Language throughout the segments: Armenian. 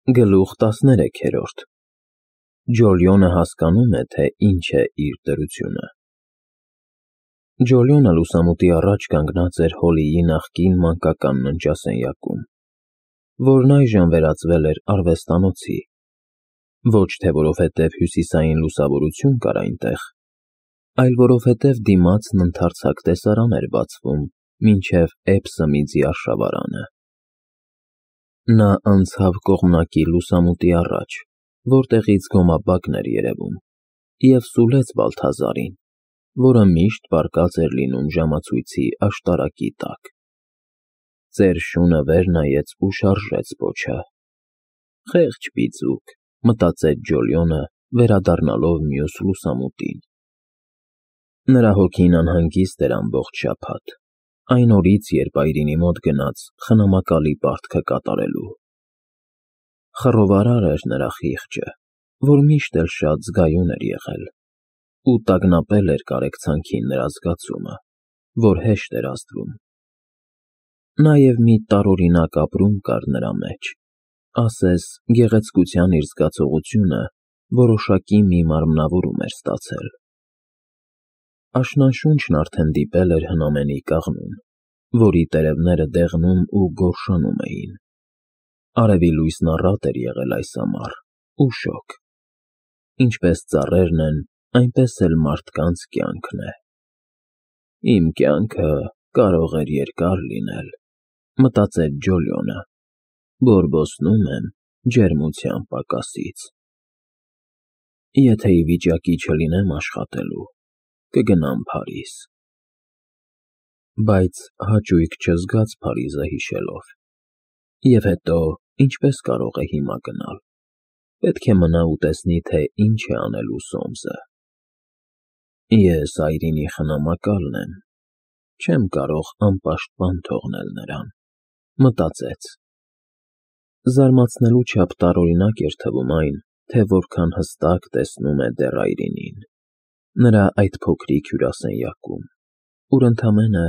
Գլուխ 13 Ջոլիոնը հասկանում է, թե ինչ է իր դրությունը։ Ջոլիոնը լուսամուտի առաջ կանգնած էր Հոլիի նախկին մանկական ննջասենյակում, որն այժմ վերածվել էր արվեստանոցի, ոչ թե որովհետև հյուսիսային լուսավորություն կար այնտեղ, այլ որովհետև դիմացն ընդարձակ տեսարան էր բացվում մինչև Էբսմիձի արշավարանը։ Նա անցավ կողմնակի լուսամուտի առաջ, որտեղից գոմաբակն էր երևում, և սուլեց Բալթազարին, որը միշտ պառկած էր լինում ժամացույցի աշտարակի տակ։ Ծեր շունը վեր նայեց ու շարժեց պոչը։ «Խեղճ պիծուկ», մտածեց Ջոլիոնը, վերադառնալով մյուս լուսամուտին։ Նրա հոգին անհանգիստ էր ամբողջ շաբաթ, այն օրից, երբ Այրինի մոտ գնաց խնամակալի պարտքը կատարելու։ Խռովարար էր նրա խիղճը, որ միշտ էլ շատ զգայուն էր եղել, ու տագնապել էր կարեկցանքին նրա զգացումը, որ հեշտ էր ազդվում։ Նաև մի տարօրինակ ապրում կար նրա մեջ, ասես գեղեցկության իր զգացողությունը որոշակի մի մարմնավորում էր ստացել։ Աշնանշունչն արդեն դիպել էր հնամենի կաղնուն, որի տերևները դեղնում ու գորշանում էին։ Արևի լույսն առատ էր եղել այս ամառ ու շոգ։ Ինչպես ծառերն են, այնպես էլ մարդկանց կյանքն է։ «Իմ կյանքը կարող էր երկար լինել», մտածեց Ջոլիոնը, «բորբոսնում եմ ջերմության պակասից։ Եթե ի վիճակի չլինեմ աշխատելու, կգնամ Փարիզ»։ Բայց հաճույք չզգաց Փարիզը հիշելով։ Եվ հետո, ինչպես կարող է հիմա գնալ։ Պետք է մնա ու տեսնի, թե ինչ է անելու Սոմսը։ Ես Այրինի խնամակալն եմ, չեմ կարող անպաշտպան թողնել նրան, մտածեց։ Զարմացնելու չափ տարօրինակ էր թվում այն, թե որքան հստակ տեսնում է դեռ Այրինին, նրա այդ փոքրիկ հյուրասենյակում, ուր ընդամենը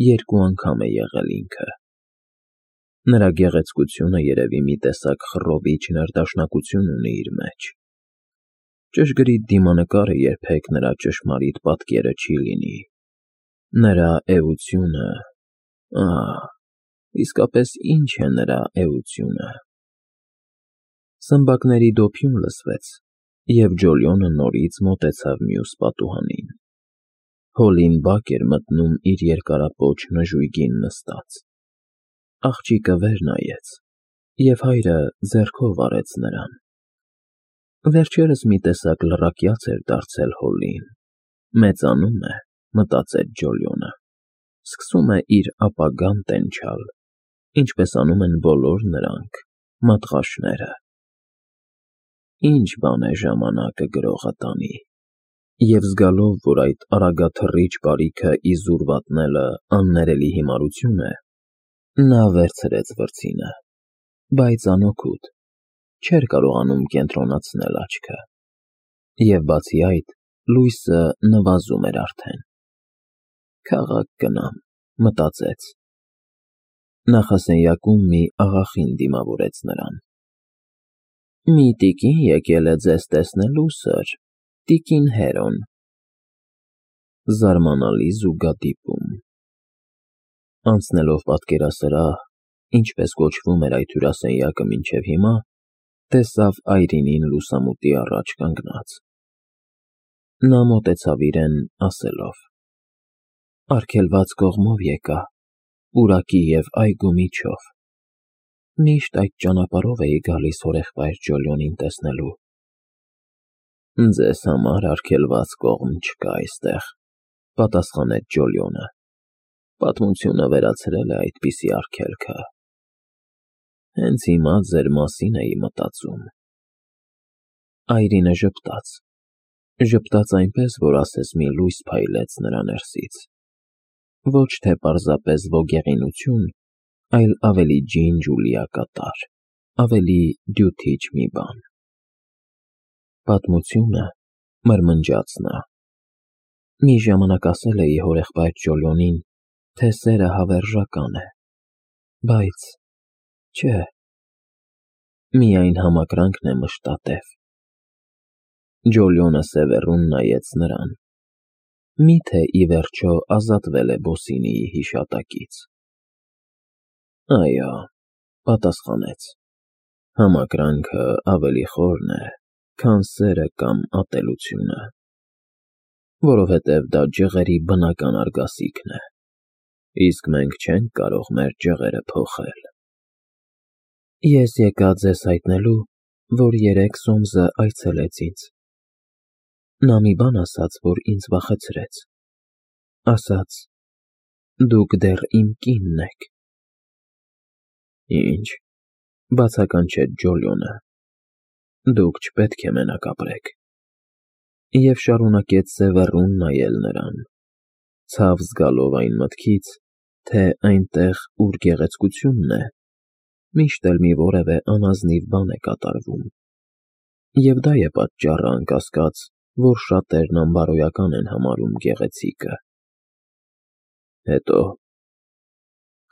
2 անգամ է եղել ինքը։ Նրա գեղեցկությունը երևի մի տեսակ խռովիչ ներդաշնակություն ունի իր մեջ։ Ճշգրիտ դիմանկարը երբեք նրա ճշմարիտ պատկերը չի լինի։ Նրա էությունը… իսկապես ինչ է նրա էությունը։ Սմբակների դոփյուն լսվեց, և Ջոլիոնը նորից մոտեցավ մյուս պատուհանին։ Հոլին բակ էր մտնում իր երկարապոչ նժույգին նստած։ Աղջիկը վեր նայեց, և հայրը ձեռքով արեց նրան։ Վերջերս մի տեսակ լռակյաց էր դարձել Հոլին։ Մեծանում է, մտածեց Ջոլիոնը, սկսում է իր ապագան տենչալ, ինչպես անում են բոլոր նրանք, մատղաշները։ Ինչ բան է ժամանակը գրողը տանի։ Եվ զգալով, որ այդ արագաթռիչ բարիքը իզուր վատնելը աններելի հիմարություն է, նա վերցրեց վրձինը, բայց անօգուտ, չէր կարողանում կենտրոնացնել աչքը։ Եվ բացի այդ, լույսը նվազում էր արդեն։ Քաղաք գնամ, մտածեց։ Նախասենյակում մի աղախին դիմավորեց նրան։ Մի տիկին եկել է ձեզ տեսնելու, սըր, տիկին Հերոն։ Զարմանալի զուգադիպում։ Անցնելով պատկերասրահ, ինչպես կոչվում էր այդ հյուրասենյակը մինչև հիմա, տեսավ Այրինին լուսամուտի առաջ կանգնած։ Նա մոտեցավ իրեն, ասելով. «Արգելված կողմով եկա, պուրակի և այգու միջով։ Միշտ այդ ճանապարհով էի գալիս հորեղբայր Ջոլիոնին տեսնելու»։ Ձեզ համար արգելված կողմ չկա այստեղ, պատասխանեց Ջոլիոնը։ Պատմությունը վերացրել է այդպիսի արգելքը։ Հենց հիմա ձեր մասին էի մտածում։ Այրինը ժպտաց այնպես, որ ասես մի լույս փայլեց նրա ներսից։ Ոչ թե պարզապես ոգեղինություն, այլ ավելի ջինջ ու լիակատար, ավելի դյութիչ մի բան։ Պատմությունը, մրմնջաց նա, մի ժամանակ ասել էի հորեղբայր Ջոլիոնին, թե սերը հավերժական է, բայց չէ, Միայն համակրանքն է մշտատև։ Ջոլիոնը սևեռուն նայեց նրան։ Միթե ի վերջո ազատվել է Բոսինիի հիշատակից։ Այո, պատասխանեց, համակրանքը ավելի խորն է, քան սերը կամ ատելությունը, որովհետև դա ջղերի բնական արգասիքն է, իսկ մենք չենք կարող մեր ջղերը փոխել։ Ես եկա ձեզ հայտնելու, որ երեկ Սոմզը այցելեց ինձ։ Նա մի բան ասաց, որ ինձ վախեցրեց։ Ասաց. «Դուք դեռ իմ կինն եք»։ Ինչ, բացականչեց Ջոլիոնը, դուք չպետք է մենակ ապրեք։ Եվ շարունակեց սևեռուն նայել նրան, ցավ զգալով այն մտքից, թե այնտեղ, ուր գեղեցկությունն է, միշտ էլ մի որևէ անազնիվ բան է կատարվում։ Եվ դա է պատճառը, անկասկած, որ շատերն անբարոյական են համարում գեղեցիկը։ Հետո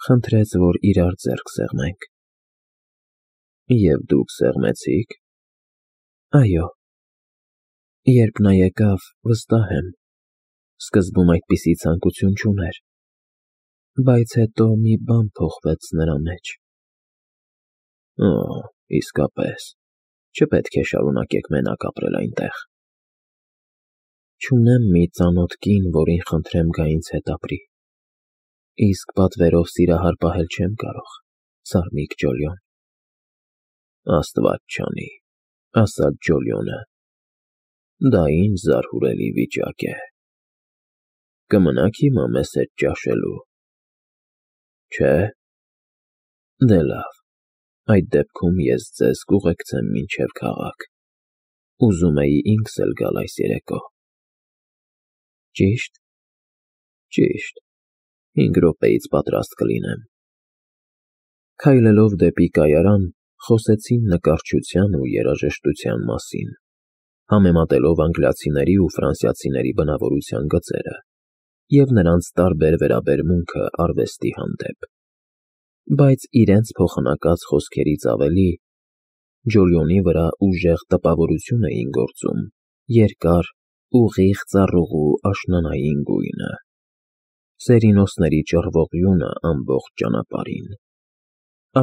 խնդրեց, որ իրար ձեռք սեղմենք։ Եվ դուք սեղմեցի՞ք։ Այո։ Երբ նա եկավ, վստահ եմ, սկզբում այդպիսի ցանկություն չուներ, բայց հետո մի բան փոխվեց նրա մեջ։ Օ, իսկապես, չպետք է շարունակեք մենակ ապրել այնտեղ։ Չունեմ մի ծանոթ կին, որին խնդրեմ գա ինձ հետ ապրի, իսկ պատվերով սիրահար պահել չեմ կարող, սարմիկ Ջոլիոն։ Աստված չանի, ասաց Ջոլիոնը, դա ինչ զարհուրելի վիճակ է։ Կմնաք հիմա մեզ հետ ճաշելու։ Չէ։ Դե լավ, այդ դեպքում ես ձեզ կուղեկցեմ մինչև քաղաք։ Ուզում էի ինքս էլ գալ այս երեկո։ Ճիշտ։ Ճիշտ, 5 րոպեից պատրաստ կլինեմ։ Քայլելով դեպի կայարան, խոսեցին նկարչության ու երաժշտության մասին, համեմատելով անգլիացիների ու ֆրանսիացիների բնավորության գծերը և նրանց տարբեր վերաբերմունքը արվեստի հանդեպ։ Բայց իրենց փոխանակած խոսքերից ավելի Ջոլիոնի վրա ուժեղ տպավորություն էին գործում երկար, ուղիղ ծառուղու աշնանային գույնը, սերինոսների ճռվողյունը ամբողջ ճանապարհին,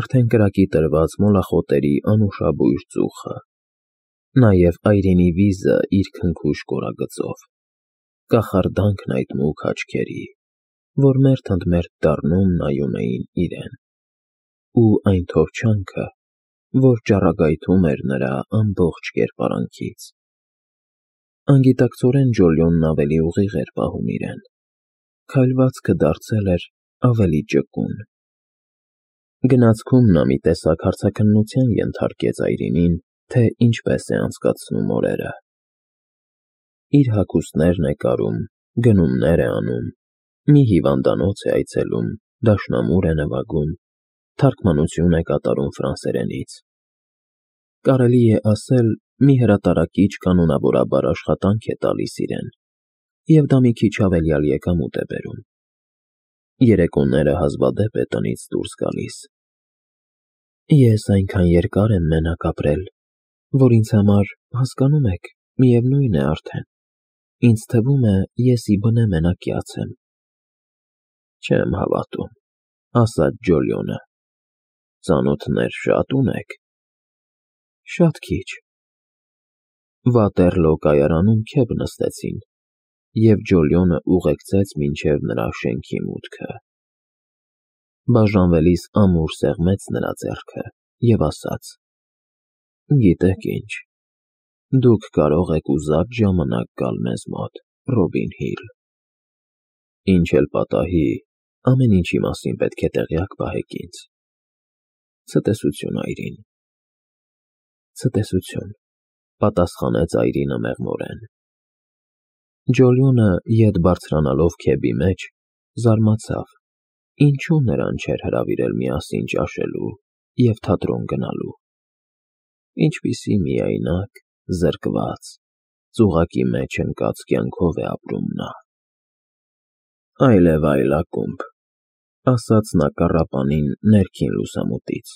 արդեն կրակի տրված մոլախոտերի անուշաբույր ծուխը, նաև այրենի վիզը իր քնքուշ կորագծով, կախարդանքն այդ մուգ աչքերի, որ մերթ ընդ մերթ դառնում նայում էին իրեն, ու այն թովչանքը, որ ճառագայթում էր նրա ամբողջ կերպարանքից։ Անգիտակցորեն Ջոլիոնն ավելի ուղիղ էր պահում իրեն, քայլվածքը դարձել էր ավելի ճկուն։ Գնացքում նա մի տեսակ հարցաքննության ենթարկեց այրինին, թե ինչպես է անցկացնում օրերը։ Իր հագուստներն է կարում, գնումներ է անում, մի հիվանդանոց է այցելում, դաշնամուր է նվագում, թարգմանություն է կատարում ֆրանսերենից։ Կարելի է ասել, մի հրատարակիչ կանոնավորաբար աշխատանք է տալիս իրեն, և դա մի քիչ հավելյալ եկամուտ է բերում։ Երեկոները հազվադեպ է տնից դուրս գալիս։ Ես այնքան երկար եմ մենակ ապրել, որ ինձ համար, հասկանում եք, միևնույն է արդեն, ինձ թվում է, ես ի բնե մենակյաց եմ։ Չեմ հավատում, ասաց Ջոլիոնը, ծանոթներ շատ ունեք։ Շատ քիչ։ Վատերլո կայարանում քեֆ նստեցին, և Ջոլիոնը ուղեկցեց մինչև նրա շենքի մուտքը։ Բաժանվելիս ամուր սեղմեց նրա ձեռքը և ասաց. Գիտեք ինչ, դուք կարող եք ուզած ժամանակ գալ մեզ մոտ, Ռոբին Հիլ։ Ինչ էլ պատահի, ամեն ինչի մասին պետք է տեղյակ պահեք ինձ։ Ցտեսություն, այրին։ Ցտեսություն, պատասխանեց այրինը մեղմորեն։ Ջոլիոնը, ետ բարձրանալով քեբի մեջ, զարմացավ, ինչու նրան չէր հրավիրել միասին ճաշելու և թատրոն գնալու։ Ինչպիսի միայնակ, զրկված, ծուղակի մեջ ընկած կյանքով է ապրում նա։ Այլև ակումբ, ասաց նա կառապանին ներքին լուսամուտից։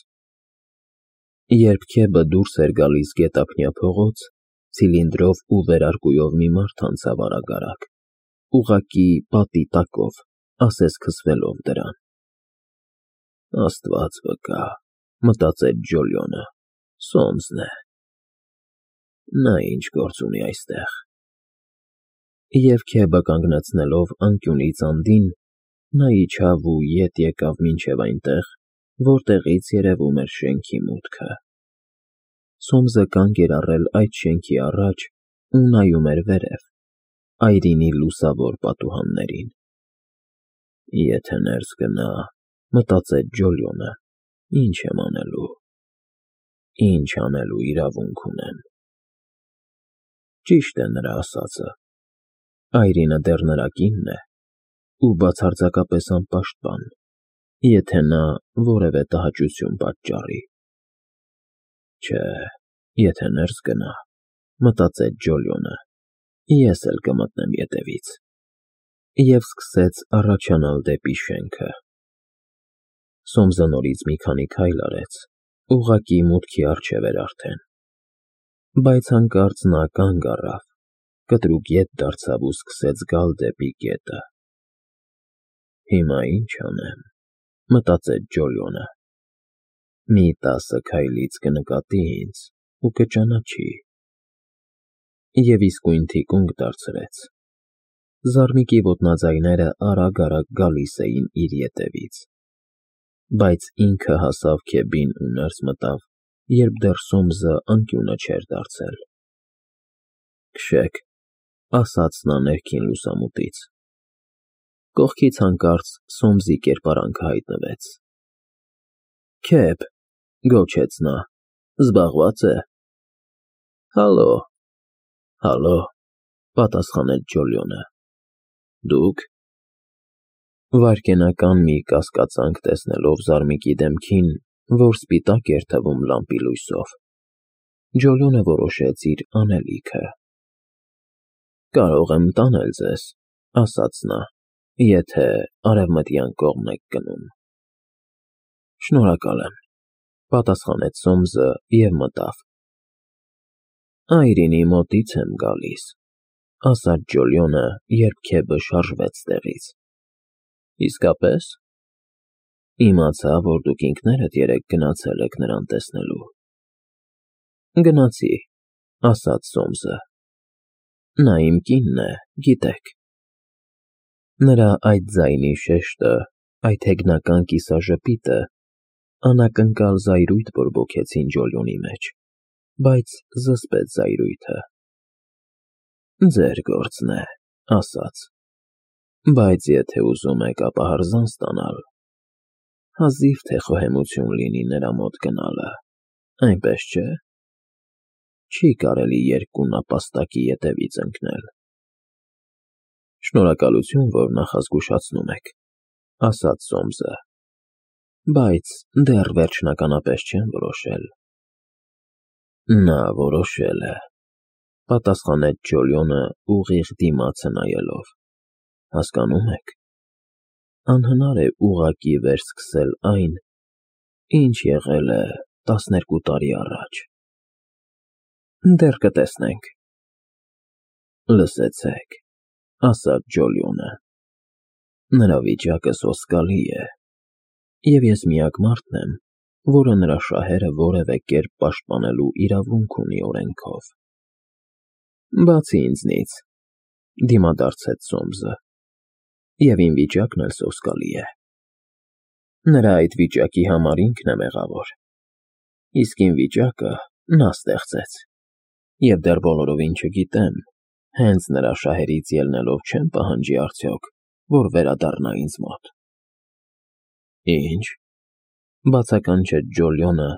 Երբ Քեբը դուրս էր գալիս գետափնյա փողոց, ցիլինդրով ու վերարկուով մի մարդ անցավ արագ, ուղղակի պատի տակով, ասես քսվելով դրան։ Աստված վկա, մտածեց Ջոլիոնը, Սոմսն է։ Նա ինչ գործ ունի այստեղ։ Եվ Քեբը կանգնեցնելով անկյունից անդին, նա իջավ ու ետ եկավ մինչև այնտեղ, որտեղից երևում էր շենքի մուտքը։ Սոմսը կանգ էր առել այդ շենքի առաջ ու նայում էր վերև, այրինի լուսավոր պատուհաններին։ Եթե ներս գնա, մտածեց Ջոլիոնը, ինչ եմ անելու։ Ինչ անելու իրավունք ունեմ։ Ճիշտ է նրա ասածը։ Այրինը դեռ նրա կինն է ու բացարձակապես անպաշտպան, եթե նա որևէ տհաճություն պատճառի։ Չէ, եթե ներս գնա, մտածեց Ջոլիոնը, ես էլ կմտնեմ ետևից։ Եվ սկսեց առաջանալ դեպի շենքը։ Սոմսը նորից մի քանի քայլ արեց, ուղղակի մուտքի առջև էր արդեն։ Բայց հանկարծ նա կանգ առավ, կտրուկ ետ դարձավ ու սկսեց գալ դեպի գետը։ Հիմա ինչ անեմ, մտածեց Ջոլիոնը։ Մի 10 քայլից կնկատի ինձ ու կճանաչի։ Եվ իսկույն թիկունք դարձրեց։ Զարմիկի ոտնաձայները արագ գալիս էին իր ետևից։ Բայց ինքը հասավ Քեբին ու ներս մտավ, երբ դեռ Սոմսը անկյունը չէր դարձել։ Քշեք, ասաց նա ներքին լուսամուտից։ Կողքից հանկարծ Սոմսի կերպարանքը հայտնվեց։ Քեբ, գոչեց նա, զբաղված է։ Հալո, պատասխանեց Ջոլիոնը։ Դուք։ Վայրկենական մի կասկածանք տեսնելով Զարմիկի դեմքին, որ սպիտակ էր թվում լամպի լույսով, Ջոլիոնը որոշեց իր անելիքը։ Կարող եմ տանել ձեզ, ասաց նա, եթե արևմտյան կողմն եք գնում։ Շնորհակալ եմ, պատասխանեց Սոմսը և մտավ։ Այրինի մոտից եմ գալիս, ասաց Ջոլիոնը, երբ Քեբը շարժվեց տեղից։ Իսկապես։ Իմացա, որ դուք ինքներդ երեկ գնացել եք նրան տեսնելու։ Գնացի, ասաց Սոմսը։ Նա իմ կինն է, գիտեք։ Նրա այդ ձայնի շեշտը, այդ հեգնական կիսաժպիտը անակնկալ զայրույթ բորբոքեցին Ջոլիոնի մեջ, բայց զսպեց զայրույթը։ Ձեր գործն է, ասաց։ Բայց եթե ուզում եք ապահարզան ստանալ, հազիվ թե խոհեմություն լինի նրա մոտ գնալը, այնպես չէ։ Չի կարելի երկու նապաստակի ետևից ընկնել։ Շնորհակալություն, որ նախազգուշացնում եք, ասաց Սոմսը, բայց դեռ վերջնականապես չեմ որոշել։ Նա որոշել է, պատասխանեց Ջոլիոնը ուղիղ դիմացը նայելով։ Հասկանում եք, անհնար է ուղղակի վերսկսել այն, ինչ եղել է 12 տարի առաջ։ Դեռ կտեսնենք։ Լսեցեք, ասաց Ջոլիոնը, նրա վիճակը սոսկալի է, և ես միակ մարդն եմ, որը նրա շահերը որևէ կերպ պաշտպանելու իրավունք ունի օրենքով։ Բացի ինձնից, դիմադարձեց Սոմսը, և իմ վիճակն էլ սոսկալի է։ Նրա այդ վիճակի համար ինքն է մեղավոր, իսկ իմ վիճակը նա ստեղծեց, և դեռ բոլորովին չգիտեմ, հենց նրա շահերից ելնելով չեմ պահանջի արդյոք, որ վերադառնա ինձ մոտ։ Ինչ, բացականչեց Ջոլիոնը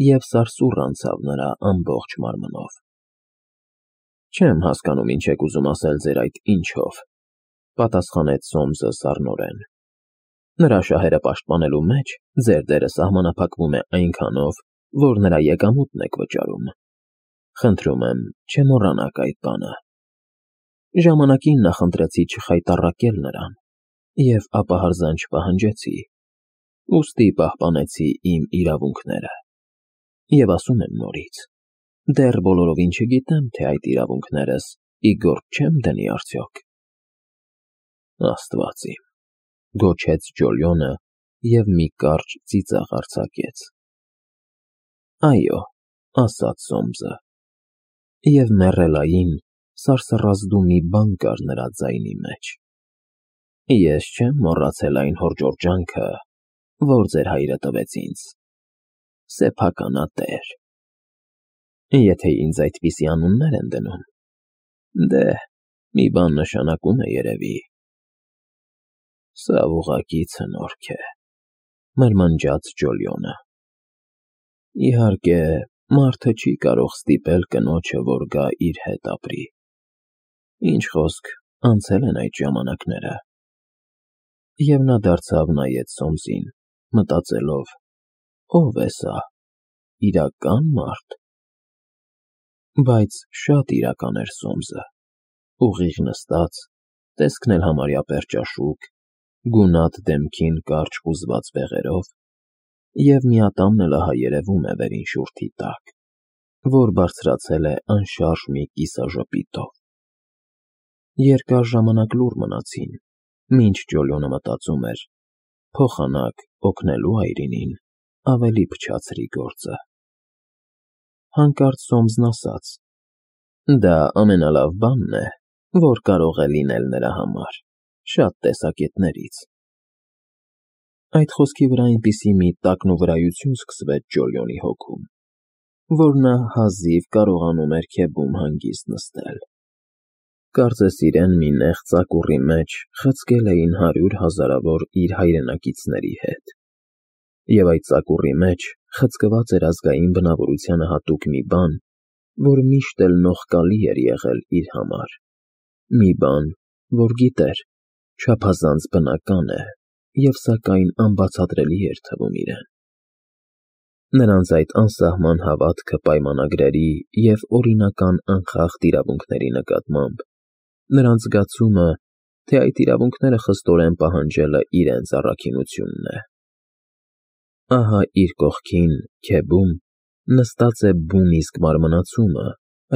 և սարսուռ անցավ նրա ամբողջ մարմնով։ Չեմ հասկանում ինչ եք ուզում ասել ձեր այդ ինչով, պատասխանեց Սոմսը սառնորեն։ Նրա շահերը պաշտպանելու մեջ ձեր դերը սահմանափակվում է այնքանով, որ նրա եկամուտն եք վճարում։ Խնդրում եմ, չմոռանաք այդ բանը։ Ժամանակին նախընտրեցի չխայտառակել նրան և ապահարզան չպահանջեցի, ուստի պահպանեցի իմ իրավունքները։ Եվ ասում եմ նորից, դեռ բոլորովին չգիտեմ, թե այդ իրավունքներս ի գործ չեմ դնի արդյոք։ Աստված իմ, գոչեց Ջոլիոնը և մի կարճ ծիծաղ արձակեց։ Այո, ասաց Սոմսը, և մեռելային սարսռազդու մի բան կար նրա ձայնի մեջ։ Ես չեմ մոռացել այն հորջորջանքը, որ ձեր հայրը տվեց ինձ, սեփականատեր։ Եթե ինձ այդպիսի անուններ են դնում, դե, մի բան նշանակում է երևի։ Սա ուղղակի ցնորք է, մրմնջաց Ջոլիոնը։ Իհարկե, մարդը չի կարող ստիպել կնոջը, որ գա իր հետ ապրի։ Ինչ խոսք, անցել են այդ ժամանակները։ Եվ նա դարձավ նայեց Սոմսին, մտածելով. ով է սա, իրական մարդ։ Բայց շատ իրական էր Սոմսը, ուղիղ նստած, տեսքն էլ համարյա պերճաշուք, գունատ դեմքին կարճ հուզված բեղերով, և միատամն էլ ահա երևում է վերին շուրթի տակ, որ բարձրացել է անշարժ մի կիսաժպիտով։ Երկար ժամանակ լուռ մնացին, մինչ Ջոլիոնը մտածում էր, փոխանակ օգնելու այրինին ավելի փչացրի գործը։ Հանկարծ Սոմսն ասաց. դա ամենալավ բանն է, որ կարող է լինել նրա համար, շատ տեսակետներից։ Այդ խոսքի վրա այնպիսի մի տակնուվրայություն սկսվեց Ջոլիոնի հոգում, որ նա հազիվ կարողանում էր քեբում հանգիստ նստել։ Կարծես իրեն մի նեղ ծակուռի մեջ խցկել էին 100 հազարավոր իր հայրենակիցների հետ, և այդ ծակուռի մեջ խցկված էր ազգային բնավորությանը հատուկ մի բան, որ միշտ էլ նողկալի էր եղել իր համար, մի բան, որ գիտեր, չափազանց բնական է և սակայն անբացատրելի էր թվում իրեն։ Նրանց այդ անսահման հավատքը պայմանագրերի և օրինական անխախտ իրավունքների նկատմամբ, նրանց զգացումը, թե այդ իրավունքները խստորեն պահանջելը իրենց առաքինությունն է։ Ահա իր կողքին, քեբում, նստած է բուն իսկ մարմնացումը,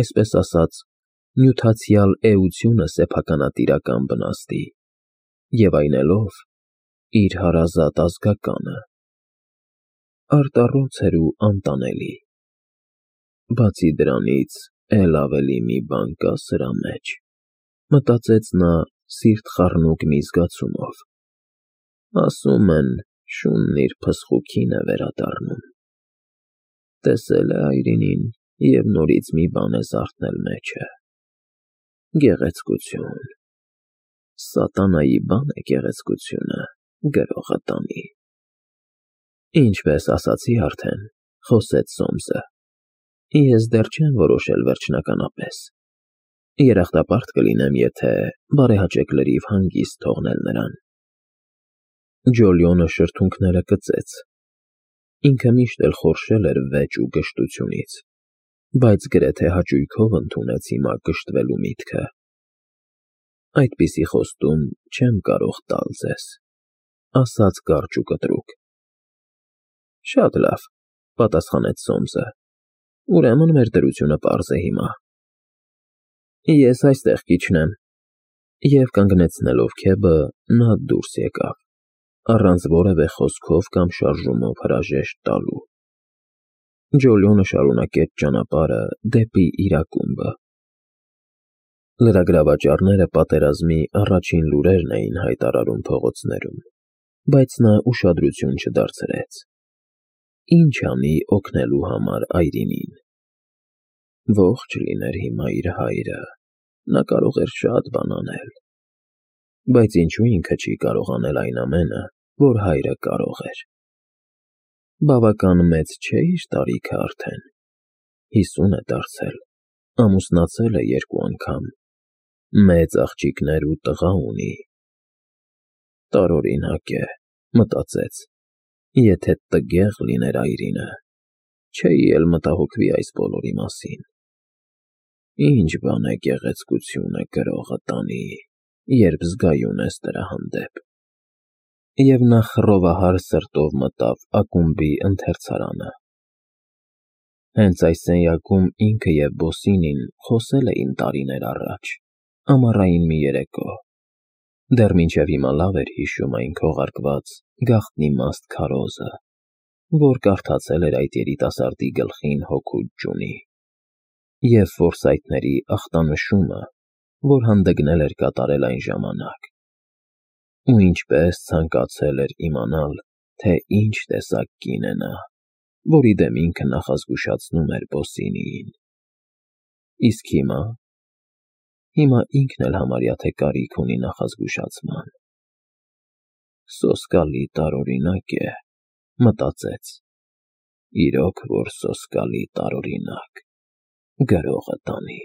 այսպես ասած, նյութացիալ էությունը սեփականատիրական բնաստի, և այնելով իր հարազատ ազգականը։ Արտառոց էր ու անտանելի։ Բացի դրանից, էլ ավելի մի բան կա սրա մեջ, մտածեց նա սիրտ խառնուկ մի զգացումով։ Ասում են, շունն իր փսխուքին է վերադառնում։ Տեսել է այրինին և նորից մի բան է զարթնել մեջը։ Գեղեցկություն։ Սատանայի բան է գեղեցկությունը, գրողը տանի։ Ինչպես ասացի արդեն, խոսեց Սոմսը, ես դեռ չեմ որոշել վերջնականապես։ Երախտապարտ կլինեմ, եթե բարեհաճեք լրիվ հանգիստ թողնել նրան։ Ջոլիոնը շրթունքները կծեց։ Ինքը միշտ էլ խորշել էր վեճ ու գժտությունից, բայց գրեթե հաճույքով ընդունեց հիմա կշտվելու միտքը։ Այդպիսի խոստում չեմ կարող տալ ձեզ, ասաց կարճ ու կտրուկ։ Շատ լավ, պատասխանեց Սոմսը, ուրեմն մեր դրությունը պարզ է հիմա։ Ես այստեղ կիջնեմ։ Եվ կանգնեցնելով քեբը, նա դուրս եկավ, առանց որևէ խոսքով կամ շարժումով հրաժեշտ տալու։ Ջոլիոնը շարունակեց ճանապարհը դեպի իր ակումբը։ Լրագրավաճառները պատերազմի առաջին լուրերն էին հայտարարում փողոցներում, բայց նա ուշադրություն չդարձրեց։ Ինչ անի օգնելու համար այրինին։ Ողջ լիներ հիմա իր հայրը, նա կարող էր շատ բան անել։ Բայց ինչու ինքը չի կարող անել այն ամենը, որ հայրը կարող էր։ Բավական մեծ չէ իր տարիքը արդեն։ 50 է դարձել, ամուսնացել է 2 անգամ, մեծ աղջիկներ ու տղա ունի։ Տարօրինակ է, մտածեց, եթե տգեղ լիներ այրինը, չէի էլ մտահոգվի այս բոլորի մասին։ Ինչ բան է գեղեցկությունը, գրողը տանի, երբ զգայուն ես դրա հանդեպ։ Եվ նա խռովահար սրտով մտավ ակումբի ընթերցարանը։ Հենց այս սենյակում ինքը և Բոսինին խոսել էին տարիներ առաջ, ամառային մի երեկո։ Դեռ մինչև հիմա լավ էր հիշում այն քողարկված գաղտնի-մաստ քարոզը, որ կարդացել էր այդ երիտասարդի գլխին հօգուտ ջունի, և ֆորսայթների ախտանշումը, որ հանդգնել էր կատարել այն ժամանակ, ու ինչպես ցանկացել էր իմանալ, թե ինչ տեսակ կին է նա, որի դեմ ինքը նախազգուշացնում էր Բոսինիին։ Իսկ հիմա ինքն էլ համարյա թե կարիք ունի նախազգուշացման։ «Սոսկալի տարօրինակ է», մտածեց, իրոք որ սոսկալի տարօրինակ, գրողը տանի։